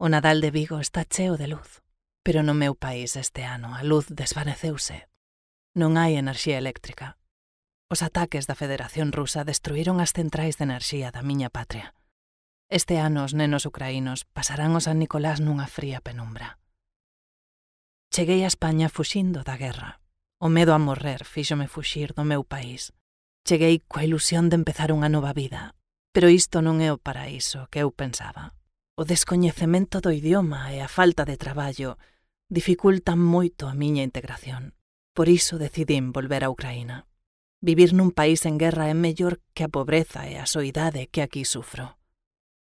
O Nadal de Vigo está cheo de luz, pero no meu país este ano a luz desvaneceuse. Non hai enerxía eléctrica. Os ataques da Federación Rusa destruíron as centrais de enerxía da miña patria. Este ano os nenos ucraínos pasarán o San Nicolás nunha fría penumbra. Cheguei a España fuxindo da guerra. O medo a morrer fíxome fuxir do meu país. Cheguei coa ilusión de empezar unha nova vida, pero isto non é o paraíso que eu pensaba. O descoñecemento do idioma e a falta de traballo dificultan moito a miña integración. Por iso decidín volver a Ucraína. Vivir nun país en guerra é mellor que a pobreza e a soidade que aquí sufro.